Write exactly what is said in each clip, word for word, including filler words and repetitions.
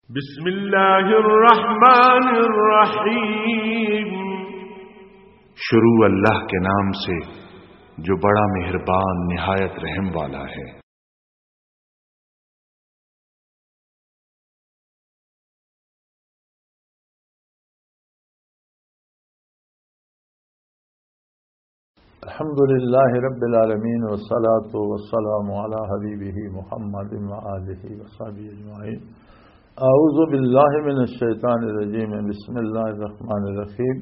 بسم اللہ الرحمن الرحیم۔ شروع اللہ کے نام سے جو بڑا مہربان نہایت رحم والا ہے۔ الحمد لله رب العالمين، والصلاة والسلام على حبيبه محمد وآله وصحبه أجمعين. أعوذ بالله من الشيطان الرجيم. بسم الله الرحمن الرحيم.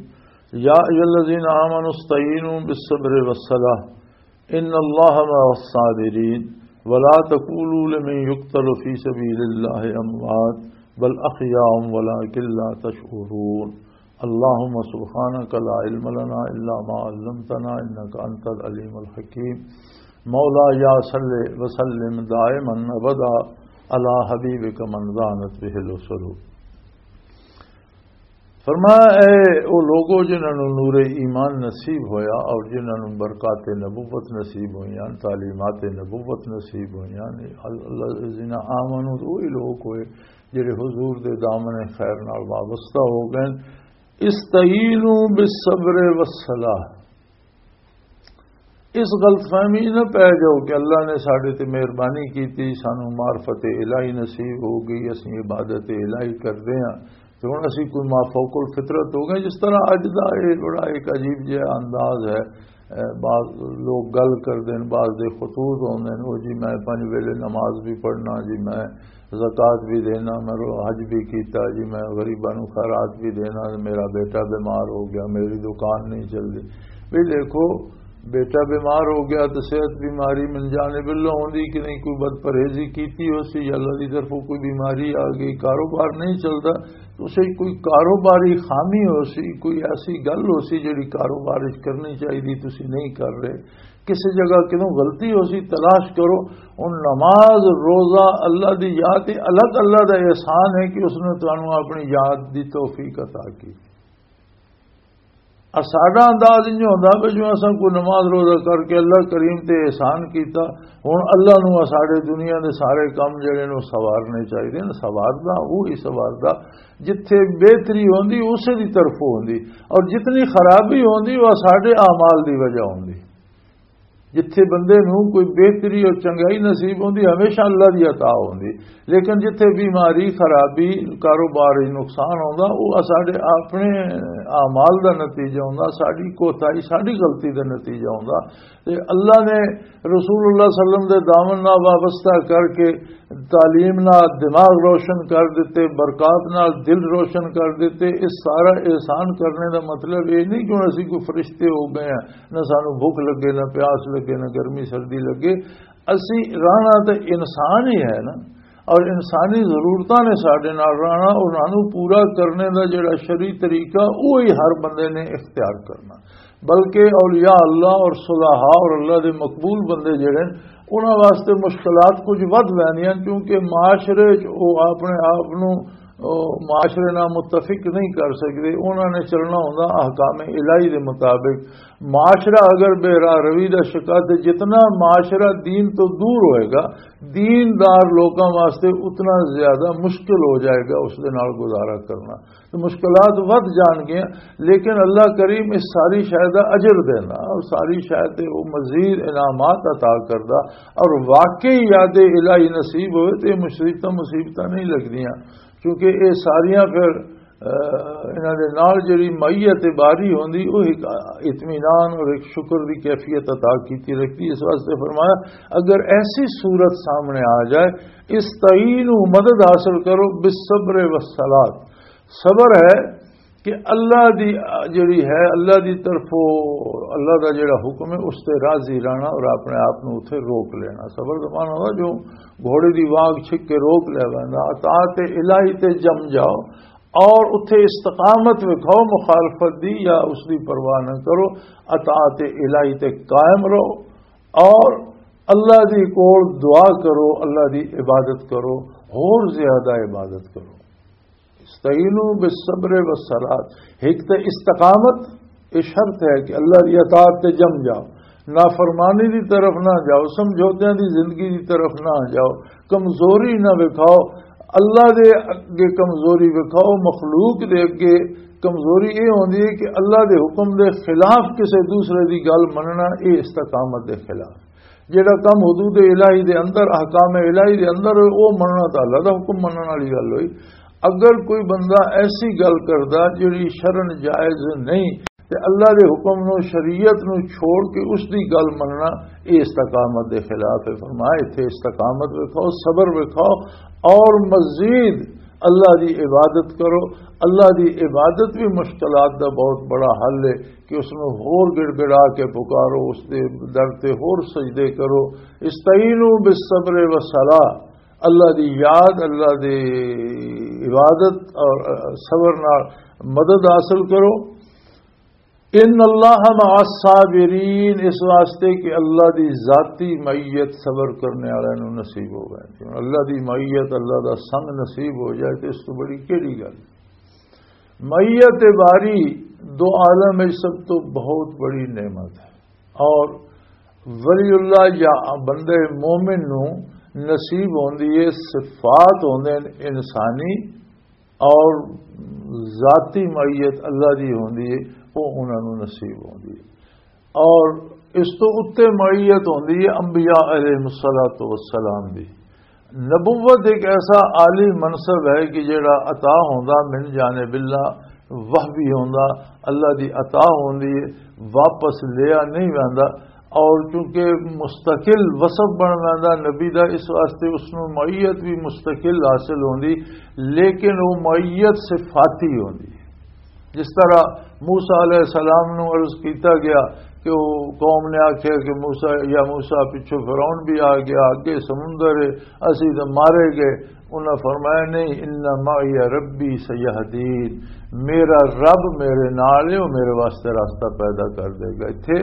يا أيها الذين آمنوا استعينوا بالصبر والصلاة، إن الله مع الصابرين، ولا تقولوا لمن يقتل في سبيل الله أموات، بل أحياء ولكن لا تشعرون. اللهم سبحانك لا علم لنا إلا ما علمتنا إنك أنت العليم الحكيم. مولاي صل وسلم دائما أبدا على حبيبك من دانت به الأسر. فرمایا، اے او لوگو جنہاں نوں نور ایمان نصیب ہویا اور جنہاں نوں برکات نبوت نصیب ہوئیاں، تعلیمات نبوت نصیب ہوئیاں، الذین آمنوا، وہی لوگ ہوئے جڑے حضور دے دامن خیر نال وابستہ ہو گئے۔ استعینوا بالصبر والصلاۃ۔ اس غلط فہمی نہ پے جاؤ کہ اللہ نے ساڈے تے مہربانی کیتی، سانو معرفت الہی نصیب ہو گئی، اسیں عبادت الہی کردے ہاں تے ہن اسی کوئی مافوق الفطرت ہو گئے۔ جس طرح اج دا یہ بڑا ایک عجیب جہا انداز ہے، اے، بعض لوگ گل کردے نے، بعض دے خطوط ہوندے نے، "او جی میں پنج ویلے نماز بھی پڑھنا، جی میں زکوٰۃ بھی دینا، میں رو-، حج بھی کیتا، جی میں غریباں نوں خیرات بھی دینا، میرا بیٹا بیمار ہو گیا، میری دکان نہیں چلدی۔" بھی دیکھو، بیٹا بیمار ہو گیا تو صحت بیماری من جانب اللہ ہوندی کہ نہیں، کوئی بد پرہیزی کیتی ہو سی یا اللہ دی طرفوں کوئی بیماری آ گئی، کاروبار نہیں چلدا، تو اسے کوئی کاروباری خامی ہو سی، کوئی ایسی گل ہو سی جڑی کاروبار وچ کرنی چاہیے، تسی نہیں کر رہے، کسی جگہ کدوں غلطی ہو سی، تلاش کرو۔ ہن نماز، روزہ، اللہ دی یاد، یہ الگ اللہ دا احسان ہے کہ اس نے تانوں اپنی یاد دی توفیق عطا کی۔ اور ساڈا انداز انج ہوندا پیا جیویں اساں کوئی نماز روزہ کر کے اللہ کریم تے احسان کیتا، ہن اللہ نوں ساڈے دنیا دے سارے کم جڑے نے او سوارنے چاہیدے نے۔ سواردا وہی سواردا جتھے بہتری ہوندی اسے دی طرفوں ہوندی، اور جتنی خرابی ہوندی وہ ساڈے اعمال دی وجہ ہوندی۔ جتھے بندے نوں کوئی بہتری اور چنگائی نصیب ہوندی، ہمیشہ اللہ دی عطا ہوندی۔ لیکن جتھے بیماری، خرابی، کاروباری نقصان ہوندا، وہ ساڈے اپنے اعمال دا نتیجہ ہوندا، ساڈی کوتاہی، ساڈی غلطی دا نتیجہ ہوندا۔ تے اللہ نے رسول اللہ صلی اللہ علیہ وسلم دے دامن نال وابستہ کر کے تعلیم نال دماغ روشن کر دتے، برکات نال دل روشن کر دتے۔ اس سارا احسان کرنے دا مطلب یہ نہیں کہ ہن اسی کوئی فرشتے ہو گئے ہیں، نہ سانو بھوک لگے، نہ پیاس لگے، نہ گرمی سردی لگے۔ اسی رہنا تے انسان ہی ہے نا، اور انسانی ضرورتاں نے ساڈے نال رہنا، انہاں نوں پورا کرنے دا جڑا شرعی طریقہ، وہی ہر بندے نے اختیار کرنا۔ بلکہ اولیاء اللہ اور صلحاء اور اللہ دے مقبول بندے جڑے نے، انہاں واسطے مشکلات کچھ ودھ ویندیاں، کیونکہ معاشرے چ او اپنے آپ نوں، او معاشرے نال متفق نہیں کر سکدے۔ انہاں نے چلنا ہوندا احکام الہی دے مطابق۔ معاشرہ اگر بے راہ روی دا شکار تے جتنا معاشرہ دین تو دور ہوئے گا، دیندار لوکاں واسطے اتنا زیادہ مشکل ہو جائے گا اس دے نال گزارا کرنا۔ تو مشکلات ودھ جان گیاں، لیکن اللہ کریم اس ساری شے دا اجر دیندا اور ساری شے تے وہ مزید انعامات عطا کردا، اور واقعی یاد الہی نصیب ہوئے تے مصیبتاں مصیبتاں نہیں لگدیاں، کیونکہ یہ ساریاں پھر، آ، انہاں دے نال جڑی معیت باری ہوندی، وہ ایک اطمینان اور ایک شکر دی کیفیت عطا کیتی رکھدی۔ اس واسطے فرمایا، اگر ایسی صورت سامنے آ جائے، استعینوا، مدد حاصل کرو، بالصبر والصلاۃ، صبر ہے کہ اللہ دی جڑی ہے، اللہ دی طرفوں اللہ دا جڑا حکم ہے، اس تے راضی رہنا اور اپنے آپ نوں اتھے روک لینا۔ صبر دا معنی ہوگا جو گھوڑے دی واگ چھک کے روک لے ویندا، اطاعت الہی تے جم جاؤ اور اتھے استقامت وکھاؤ، مخالفت دی یا اس دی پرواہ نہ کرو، اطاعت الہی تے قائم رہو اور اللہ دی کول دعا کرو، اللہ دی عبادت کرو، ہور زیادہ عبادت کرو۔ استعینوا بالصبر والصلاۃ۔ ایک تے استقامت، یہ شرط ہے کہ اللہ دی اطاعت تے جم جاؤ، نافرمانی دی طرف نہ جاؤ، سمجھوتیاں دی زندگی دی طرف نہ جاؤ، کمزوری نہ وکھاؤ، اللہ دے اگے کمزوری وکھاؤ، مخلوق دے اگے کمزوری یہ ہوندی ہے کہ اللہ دے حکم دے خلاف کسی دوسرے دی گل مننا، یہ استقامت دے خلاف۔ جڑا کم حدود الہی دے اندر، احکام الہی دے اندر ہوئے، وہ مننا تو اللہ دا حکم منن والی گل ہوئی۔ اگر کوئی بندہ ایسی گل کردا جڑی شرن جائز نہیں، تے اللہ دے حکم نو، شریعت نو چھوڑ کے اس دی گل مننا، یہ استقامت دے خلاف ہے۔ فرمایا، اتھے استقامت وکھاؤ، صبر وکھاؤ، اور مزید اللہ دی عبادت کرو۔ اللہ دی عبادت بھی مشکلات دا بہت بڑا حل ہے کہ اس نو ہور گڑ گڑا کے پکارو، اس دے در تے ہور سجدے کرو۔ استعینوا بالصبر والصلاۃ، اللہ دی یاد، اللہ دی عبادت اور صبر نال مدد حاصل کرو۔ ان اللہ مع الصابرین، اس واسطے کہ اللہ دی ذاتی معیت صبر کرنے والے نوں نصیب ہو گئے۔ اللہ دی معیت، اللہ دا سنگ نصیب ہو جائے تو اس تو بڑی کیڑی گل؟ معیت باری دو عالم وچ سب تو بہت بڑی نعمت ہے۔ اور ولی اللہ یا بندے مومن نوں نصیب ہوندی ہے، صفات ہوندے نے انسانی اور ذاتی معیت اللہ دی ہوندی ہے، وہ انہاں نوں نصیب ہوندی ہے۔ اور اس تو اُتے معیت ہوندی ہے انبیاء علیہ الصلوۃ والسلام دی۔ نبوت ایک ایسا عالی منصب ہے کہ جڑا عطا ہوندا من جانب اللہ، وحی ہوندا، اللہ دی عطا ہوندی ہے، واپس لیا نہیں ویندا۔ اور چونکہ مستقل وصف بن ویندا نبی دا، اس واسطے اس نوں معیت بھی مستقل حاصل ہوندی، لیکن وہ معیت صفاتی ہوندی۔ جس طرح موسیٰ علیہ السلام نوں عرض کیتا گیا کہ وہ قوم نے آکھیا کہ موسیٰ، یا موسیٰ، پچھوں فرعون بھی آ گیا، اگے سمندر ہے، اسی تے مارے گئے۔ انہاں فرمایا، نہیں، ان معی ربی سیہدین، میرا رب میرے نال ہے، وہ میرے واسطے راستہ پیدا کر دے گا۔ اتھے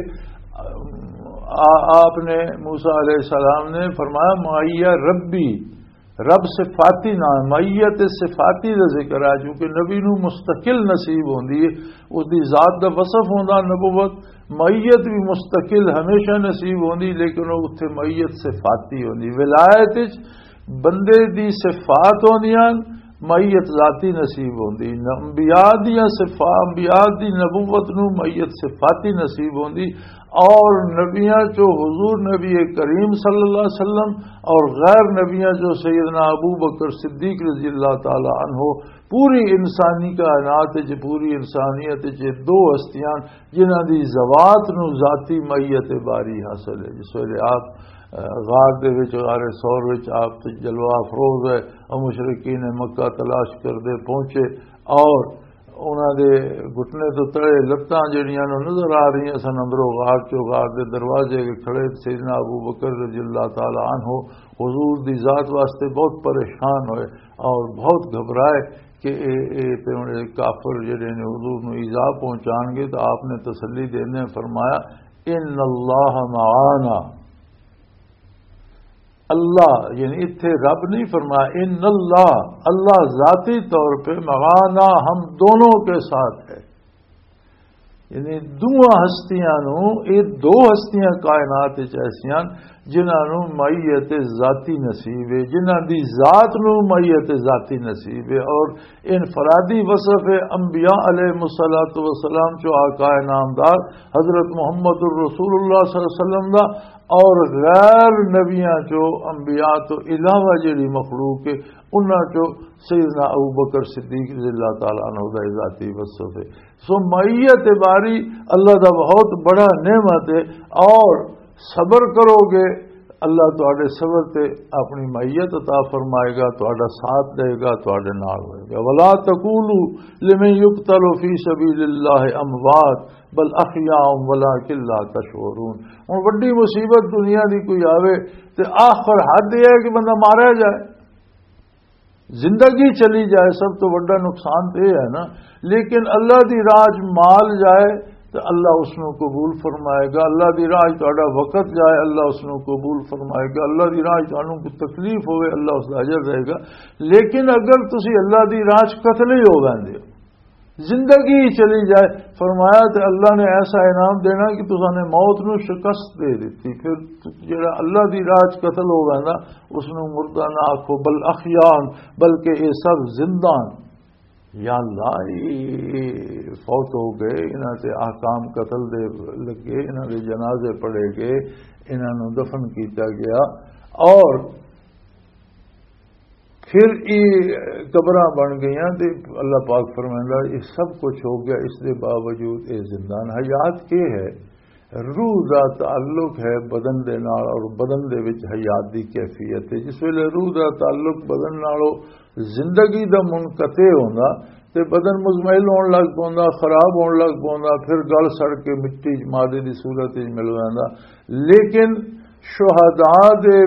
آ-، آپ نے، موسیٰ علیہ السلام نے فرمایا، معی ربی، رب صفاتی نام، معیت صفاتی دا ذکر ہے، جو کہ نبی نو مستقل نصیب ہوندی ہے، اس دی ذات دا وصف ہوندا نبوت، معیت بھی مستقل ہمیشہ نصیب ہوندی، لیکن وہ اتھے معیت صفاتی ہوندی۔ ولایت وچ بندے دی صفات ہوندیاں، معیت ذاتی نصیب ہوندی۔ انبیاء دیاں صفات، انبیاء دی نبوت نو معیت صفاتی نصیب ہوندی۔ اور نبیاں چو حضور نبی کریم صلی اللہ علیہ وسلم اور غیر نبیاں چو سیدنا ابو بکر صدیق رضی اللہ تعالی عنہ، پوری انسانی کائنات وچ، پوری انسانیت وچ دو ہستیاں جنہاں دی ذوات نو ذاتی معیت باری حاصل ہے۔ جس ویلے آپ، اہ، غار دے وچ، غار ثور وچ آپ تے جلوہ افروز ہے، اور مشرکین مکہ تلاش کردے پہنچے اور انہاں دے گھٹنے تو تلے لتاں جڑیاں نوں نظر آ رہیاں سن، اندروں غار چوں، غار دے دروازے اگے کھڑے سیدنا ابو بکر رضی اللہ تعالی عنہ حضور دی ذات واسطے بہت پریشان ہوئے اور بہت گھبرائے کہ اے، اے تے ہن اے کافر جڑے نے حضور نوں ایذا پہنچان گے۔ تو آپ نے تسلی دینے فرمایا، ان اللہ معانا۔ اللہ، یعنی اتھے رب نہیں فرمایا، ان اللہ، اللہ ذاتی طور پہ معانا، ہم دونوں کے ساتھ ہے۔ یعنی دوواں ہستیاں نو، اے دو ہستیاں کائنات وچ ایسیاں جنہاں نو معیت ذاتی نصیب ہے، جنہاں دی ذات نو معیت ذاتی نصیب ہے۔ اور انفرادی وصف ہے انبیاء علیہ الصلوۃ والسلام چو آقا نامدار حضرت محمد الرسول اللہ صلی اللہ علیہ وسلم دا، اور غیر نبیاں چو، انبیاء تو علاوہ جڑی مخلوق ہے، انہاں چو سیدنا ابو بکر صدیق رضی اللہ تعالیٰ عنہ دا ذاتی وصف ہے۔ سو معیت باری اللہ دا بہت بڑا نعمت ہے، اور صبر کرو گے، اللہ تہاڈے صبر تے اپنی معیت عطا فرمائے گا، تہاڈا ساتھ دے گا، تہاڈے نال ہوئے گا۔ ولا تقولوا لمن يقتل في سبيل الله اموات بل احياء ولكن لا تشعرون۔ ہن وڈی مصیبت دنیا دی کوئی آوے تے آخر حد یہ ہے کہ بندہ ماریا جائے، زندگی چلی جائے، سب تو وڈا نقصان تے یہ ہے نا۔ لیکن اللہ دی راہ چ مال جائے تو اللہ اس نو قبول فرمائے گا۔ اللہ دی راہ چ تہاڈا وقت جائے، اللہ اس نو قبول فرمائے گا۔ اللہ دی راہ چ تانوں کوئی تکلیف ہوئے، اللہ اس دا اجر دے گا۔ لیکن اگر تسی اللہ دی راہ چ قتل ہی ہو ویندے ہو، زندگی چلی جائے۔ فرمایا تے اللہ نے ایسا انعام دینا کہ تساں نے موت نو شکست دے دتی، پھر جڑا اللہ دی راہ چ قتل ہو ویندا، اس نو مردہ نہ آکھو، بل احیان، بلکہ یہ سب زندہ ہیں۔ یا اللہ، یہ فوت ہو گئے، انہاں تے احکام قتل دے لگے، انہاں دے جنازے پڑھے گئے، انہاں نو دفن کیتا گیا، اور پھر یہ قبراں بن گئیاں۔ تے اللہ پاک فرمائندا، یہ سب کچھ ہو گیا، اس دے باوجود یہ زندہ ہیں۔ حیات کی ہے؟ روح دا تعلق ہے بدن دے نال، اور بدن دے وچ حیات دی کیفیت ہے۔ جس ویلے روح دا تعلق بدن نالوں زندگی دا منقطع ہوندا، تے بدن مزمحل ہون لگ پوندا، خراب ہون لگ پوندا، پھر گل سڑ کے مٹی چ مادے دی صورت وچ مل ویندا۔ لیکن شہداء دے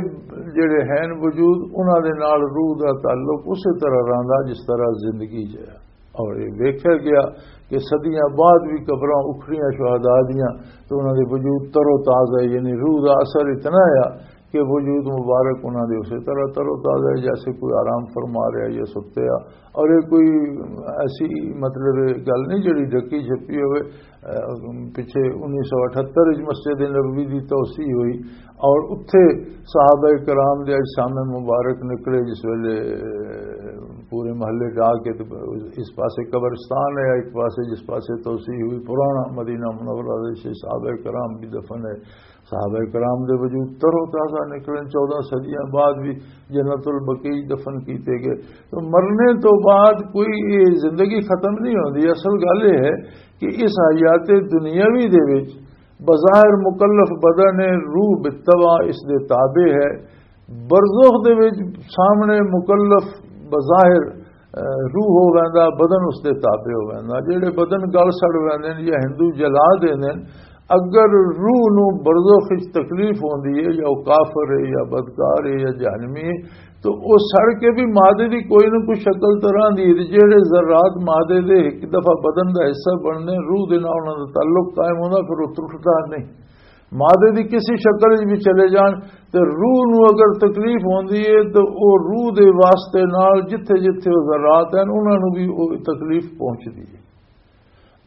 جڑے ہیں وجود، انہاں دے نال روح دا تعلق اسی طرح رہندا جس طرح زندگی چ ہے۔ اور یہ ویکھیا گیا کہ صدیاں بعد بھی قبراں اکھڑیاں شہداء دیاں، تو انہاں دے وجود تر و تازہ، یعنی روح دا اثر اتنا ہے کہ وجود مبارک انہاں دے اسی طرح تر و تازہ ہے جیسے کوئی آرام فرما رہا یا ستے آ۔ اور یہ کوئی ایسی، مطلب، گل نہیں جڑی ڈھکی چھپی ہوئے۔ اہ، پچھے انیس سو اٹھہتر وچ مسجد نبوی دی توسیع ہوئی، اور اتھے صحابہ کرام دے اجسام مبارک نکلے، جس ویلے پورے محلے ڈا کے تے اس پاسے قبرستان ہے، ایک پاسے جس پاسے توسیع ہوئی پرانا مدینہ منورہ دے سے صحابہ کرام بھی دفن ہے۔ صحابہ کرام دے وجود تر و تازہ نکلے، چودہ صدیاں بعد بھی جنت البقیع دفن کیتے گئے۔ تو مرنے تو بعد کوئی یہ زندگی ختم نہیں ہوندی۔ اصل گل یہ ہے کہ اس حیات دنیاوی دے وچ بظاہر مکلف بدن ہے، روح بالطبع اس دے تابع ہے۔ برزخ دے وچ سامنے مکلف بظاہر، اہ، روح ہو ویندا، بدن اس دے تابع ہو ویندا۔ جڑے بدن گل سڑ ویندے نے یا ہندو جلا دیندے نے، اگر روح نو برزخ وچ تکلیف ہوندی ہے یا وہ کافر ہے یا بدکار ہے یا جہنمی ہے، تو وہ سڑ کے بھی مادے دی کوئی نہ کوئی شکل تو رہندی ہے۔ جڑے ذرات مادے دے ایک دفعہ بدن دا حصہ بننے، روح دے نال انہاں دا تعلق قائم ہوندا، پھر وہ ٹرٹدا نہیں۔ مادے دی کسی شکل وچ بھی چلے جان، تے روح نو اگر تکلیف ہوندی ہے تو او روح دے واسطے نال جتھے جتھے او ذرات ہیں، انہاں نو بھی او تکلیف پہنچدی ہے۔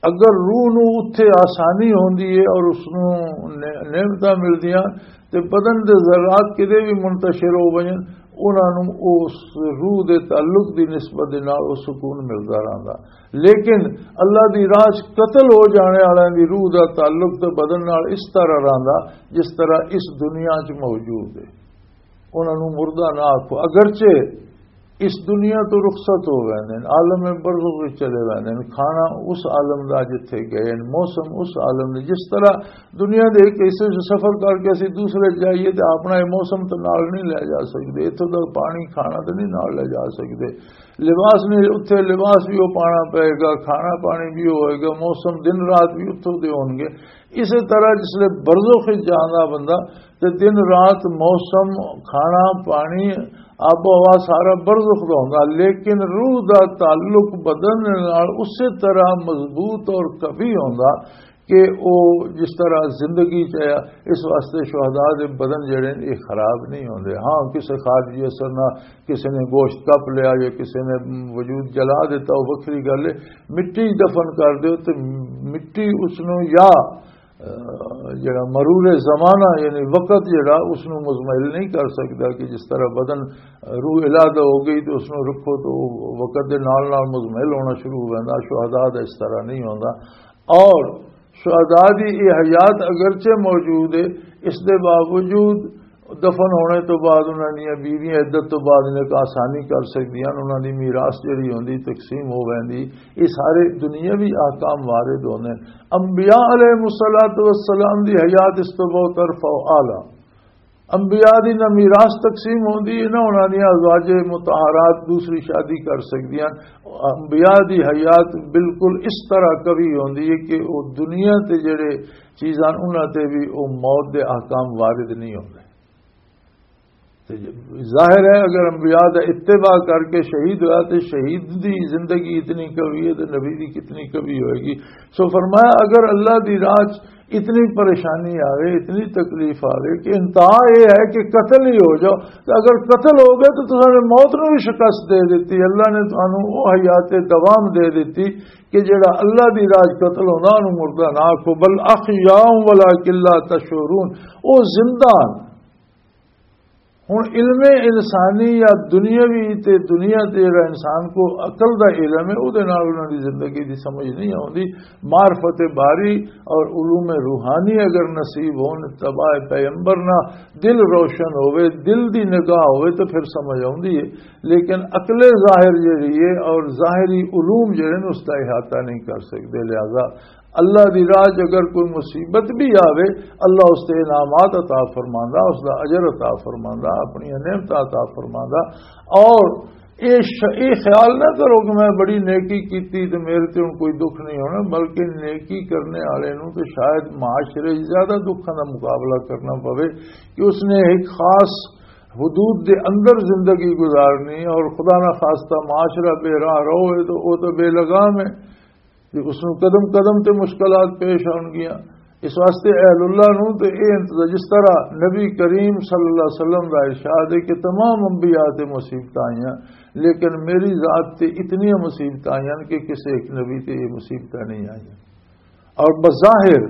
اگر روح نو اتھے آسانی ہوندی ہے اور اس نو نع-، نعمتاں ملدیاں، تے بدن دے ذرات کدے بھی منتشر ہو ونجن، انہاں نو اس روح دے تعلق دی نسبت دے نال او سکون ملدا رہندا۔ لیکن اللہ دی راہ چ قتل ہو جانے والے دی روح دا تعلق تے بدن نال اس طرح رہندا جس طرح اس دنیا چ موجود ہے۔ انہاں نوں مردہ نہ آکھو، اگرچہ اس دنیا تو رخصت ہو گئے نے، عالم برزخ وچ چلے گئے نے، کھانا اس عالم دا جتھے گئے نے، موسم اس عالم دے۔ جس طرح دنیا دے ایک حصے سے سفر کر کے اسی دوسرے جائیے تے اپنا یہ موسم تو نال نہیں لے جا سکتے، اتھوں دا پانی کھانا تو نہیں نال لے جا سکتے، لباس نہیں، اتھے لباس بھی وہ پانا پائے گا، کھانا پانی بھی ہوئے گا، موسم دن رات بھی اتھوں دے ہون گے۔ اسی طرح جس لے برزخ وچ جاندا بندہ تے دن رات، موسم، کھانا پانی، آب و ہوا سارا برزخ دا ہوندا، لیکن روح دا تعلق بدن نال اسی طرح مضبوط اور قوی ہوندا کہ او جس طرح زندگی چ آیا۔ اس واسطے شہداء دے بدن جڑے نے، یہ خراب نہیں ہوندے۔ ہاں، کسے خارجی اثر نہ، کسے نے گوشت کپ لیا یا کسے نے وجود جلا دیتا، وہ وکھری گل ہے۔ مٹی دفن کر دیو تے مٹی اس نو یا، اہ، جڑا مرور زمانہ یعنی وقت جڑا اس نو مزمحل نہیں کر سکتا کہ جس طرح بدن، روح علادہ ہو گئی تو اس نو رکھو تو وقت دے نال نال مزمحل ہونا شروع ہو جاتا۔ شہداء دا اس طرح نہیں ہوندا۔ اور شہداء دی یہ حیات اگرچہ موجود ہے، اس دے باوجود دفن ہونے تو بعد انہاں دیاں بیویاں عدت تو بعد انہاں کو آسانی کر سکدیاں، انہاں دی میراث جڑی ہوندی تقسیم ہو ویندی۔ یہ سارے دنیاوی احکام وارد ہوندے۔ انبیاء علیہ الصلوۃ والسلام دی حیات اس تو بہت ارفع و اعلیٰ۔ انبیاء دی نہ میراث تقسیم ہوندی ہے، نہ انہاں دیاں ازواج مطہرات دوسری شادی کر سکدیاں۔ انبیاء دی حیات بالکل اس طرح قوی ہوندی ہے کہ وہ دنیا تے جڑے چیزاں انہاں تے بھی وہ موت دے احکام وارد نہیں ہوندے۔ تے ظاہر ہے، اگر انبیاء دا اتباع کر کے شہید ہویا، تے شہید دی زندگی اتنی کبھی ہے، تے نبی دی کتنی کبھی ہوئے گی۔ سو فرمایا، اگر اللہ دی راہ چ اتنی پریشانی آوے، اتنی تکلیف آوے کہ انتہا یہ ہے کہ قتل ہی ہو جاؤ، تے اگر قتل ہو گئے تو تساں نے موت نو بھی شکست دے دیتی۔ اللہ نے تانوں او حیات دوام دے دیتی کہ جڑا اللہ دی راہ چ قتل ہوندا، اونوں مردہ نہ آکھو، بل احیاء ولکن لا تشعرون، او زندہ ہن۔ ہن علم انسانی یا دنیاوی تے دنیا تے جڑا انسان کو عقل دا علم ہے، او دے نال انہاں دی زندگی دی سمجھ نہیں آوندی۔ معرفت باری اور علوم روحانی اگر نصیب ہون، اتباع پیغمبر نہ دل روشن ہوئے، دل دی نگاہ ہوئے تو پھر سمجھ آوندی ہے۔ لیکن عقل ظاہر جڑی ہے اور ظاہری علوم جڑے نے، اس دا احاطہ نہیں کر سکدے۔ لہذا اللہ دی راہ چ اگر کوئی مصیبت بھی آوے، اللہ اس تے انعامات عطا فرماندا، اس دا اجر عطا فرماندا، اپنی نعمت عطا فرماندا۔ اور اے ش-، اے خیال نہ کرو کہ میں بڑی نیکی کیتی تے میرے تے ہن کوئی دکھ نہیں ہونا، بلکہ نیکی کرنے والے نوں تے شاید معاشرے 'چ زیادہ دکھاں دا مقابلہ کرنا پوے کہ اس نے ایک خاص حدود دے اندر زندگی گزارنی اور خدا نہ خواستہ معاشرہ بے راہ رہو ہے تو وہ تو بے لگام ہے۔ تے اس نوں قدم قدم تے مشکلات پیش آن گیاں۔ اس واسطے اہل اللہ نوں تے اے انتظار، جس طرح نبی کریم صلی اللہ علیہ وسلم دا ارشاد ہے کہ تمام انبیاء تے مصیبتاں آئیاں، لیکن میری ذات تے اتنی مصیبتاں آئیاں کہ کسی ایک نبی تے یہ مصیبتاں نہیں آئیاں۔ اور بظاہر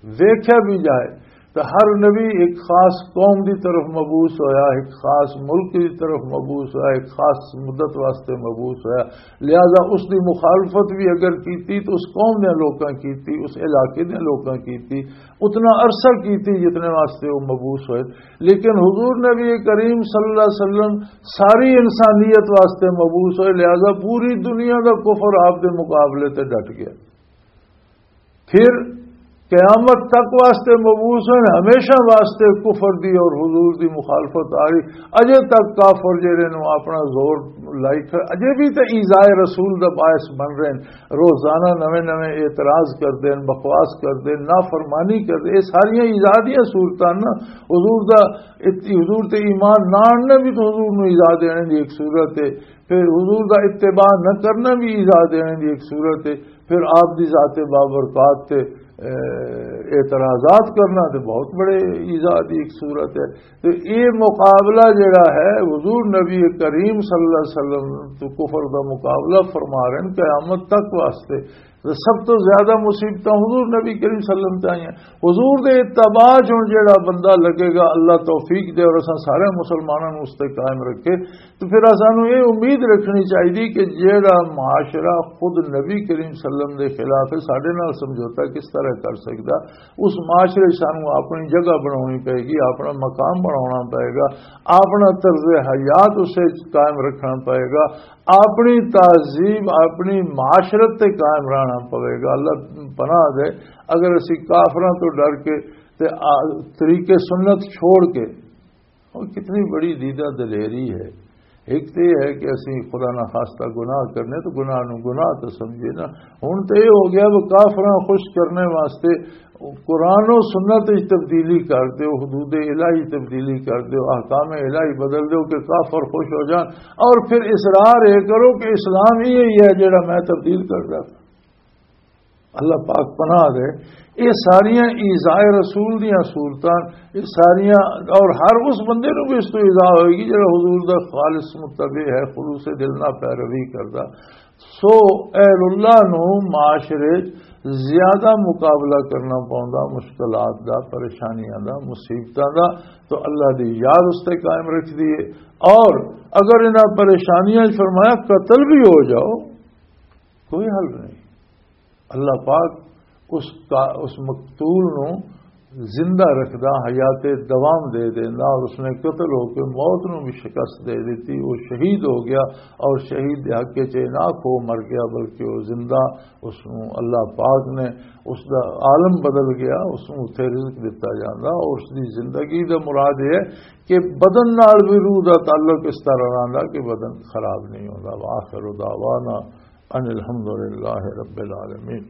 ویکھیا بھی جائے تو ہر نبی ایک خاص قوم دی طرف مبعوث ہویا، ایک خاص ملک دی طرف مبعوث ہویا، ایک خاص مدت واسطے مبعوث ہویا۔ لہذا اس دی مخالفت بھی اگر کیتی تو اس قوم دے لوکاں کیتی، اس علاقے دے لوکاں کیتی، اتنا عرصہ کیتی جتنے واسطے وہ مبعوث ہوئے۔ لیکن حضور نبی کریم صلی اللہ علیہ وسلم ساری انسانیت واسطے مبعوث ہوئے، لہذا پوری دنیا دا کفر آپ دے مقابلے تے ڈٹ گیا۔ پھر قیامت تک واسطے مبعوث ہیں، ہمیشہ واسطے کفر دی اور حضور دی مخالفت آ رہی۔ اجے تک کافر جڑے نوں اپنا زور لائی کھڑے، اجے بھی تے ایذائے رسول دا باعث بن رہے ہیں، روزانہ نویں نویں اعتراض کردے ہیں، بکواس کردے ہیں، نافرمانی کردے ہیں۔ یہ ساریاں ایذا دیاں صورتاں نا۔ حضور دا ات-، حضور تے ایمان نہ آننا بھی تو حضور نوں ایذا دینے دی ایک صورت ہے۔ پھر حضور دا اتباع نہ کرنا بھی ایذا دینے دی ایک صورت ہے۔ پھر آپ دی ذات بابرکات تے، اے، اعتراضات کرنا تے بہت بڑے ایذا دی ایک صورت ہے۔ تے اے مقابلہ جڑا ہے، حضور نبی کریم صلی اللہ علیہ وسلم تو کفر دا مقابلہ فرما رہے ہیں قیامت تک واسطے۔ تے سب تو زیادہ مصیبتاں حضور نبی کریم صلی اللہ علیہ وسلم تے آئیاں۔ حضور دے اتباع چ ہن جڑا بندہ لگے گا، اللہ توفیق دے اور اساں سارے مسلماناں نوں اس تے قائم رکھے، تو پھر سانوں یہ امید رکھنی چاہیے کہ جیڑا معاشرہ خود نبی کریم صلی اللہ علیہ وسلم دے خلاف ہے، ساڈے نال سمجھوتا کس طرح کر سکدا؟ اس معاشرے 'چ سانوں اپنی جگہ بنانی پائے گی، اپنا مقام بنانا پائے گا، اپنا طرز حیات اسے قائم رکھنا پائے گا، اپنی تہذیب، اپنی معاشرت تے قائم رہنا پائے گا۔ اللہ پناہ دے، اگر اسی کافراں تو ڈر کے تے آ-، طریقے سنت چھوڑ کے، اور کتنی بڑی دیدہ دلیری ہے۔ ایک تو یہ ہے کہ اسی خدا نہ خواستہ گناہ کرنے تو گناہ نو گناہ تو سمجھے نا۔ ہن تو یہ ہو گیا وہ کافراں خوش کرنے واسطے قرآن و سنت وچ تبدیلی کر دیو، حدود الہی تبدیلی کر دیو، احکام الہی بدل دیو کہ کافر خوش ہو جان، اور پھر اصرار یہ کرو کہ اسلام ہی یہی ہے جڑا میں تبدیل کر رہا۔ اللہ پاک پناہ دے۔ یہ ساریاں ایذائے رسول دیاں صورتاں، یہ ساریاں، اور ہر اس بندے نو بھی اس تو ایذا ہوئے گی جڑا حضور دا خالص متبع ہے، خلوص دل نہ پیروی کردا۔ سو اہل اللہ نو معاشرے 'چ زیادہ مقابلہ کرنا پوندا، مشکلات دا، پریشانیاں دا، مصیبتاں دا، تو اللہ دی یاد اس تے قائم رکھ دیے۔ اور اگر انہاں پریشانیاں 'چ فرمایا قتل بھی ہو جاؤ، کوئی حل نہیں۔ اللہ پاک اس کا، اس مقتول نو زندہ رکھدا، حیات دوام دے دیندا، اور اس نے قتل ہو کے موت نو بھی شکست دے دیتی۔ وہ شہید ہو گیا، اور شہید دے حق چ نہ کھو مر گیا، بلکہ وہ زندہ، اس نو اللہ پاک نے، اس دا عالم بدل گیا، اس نو اتھے رزق دتا جاندا، اور اس دی زندگی دا مراد یہ ہے کہ بدن نال بھی روح دا تعلق اس طرح رہندا کہ بدن خراب نہیں ہوندا۔ وآخر دعوانا ان الحمدللہ رب العالمین۔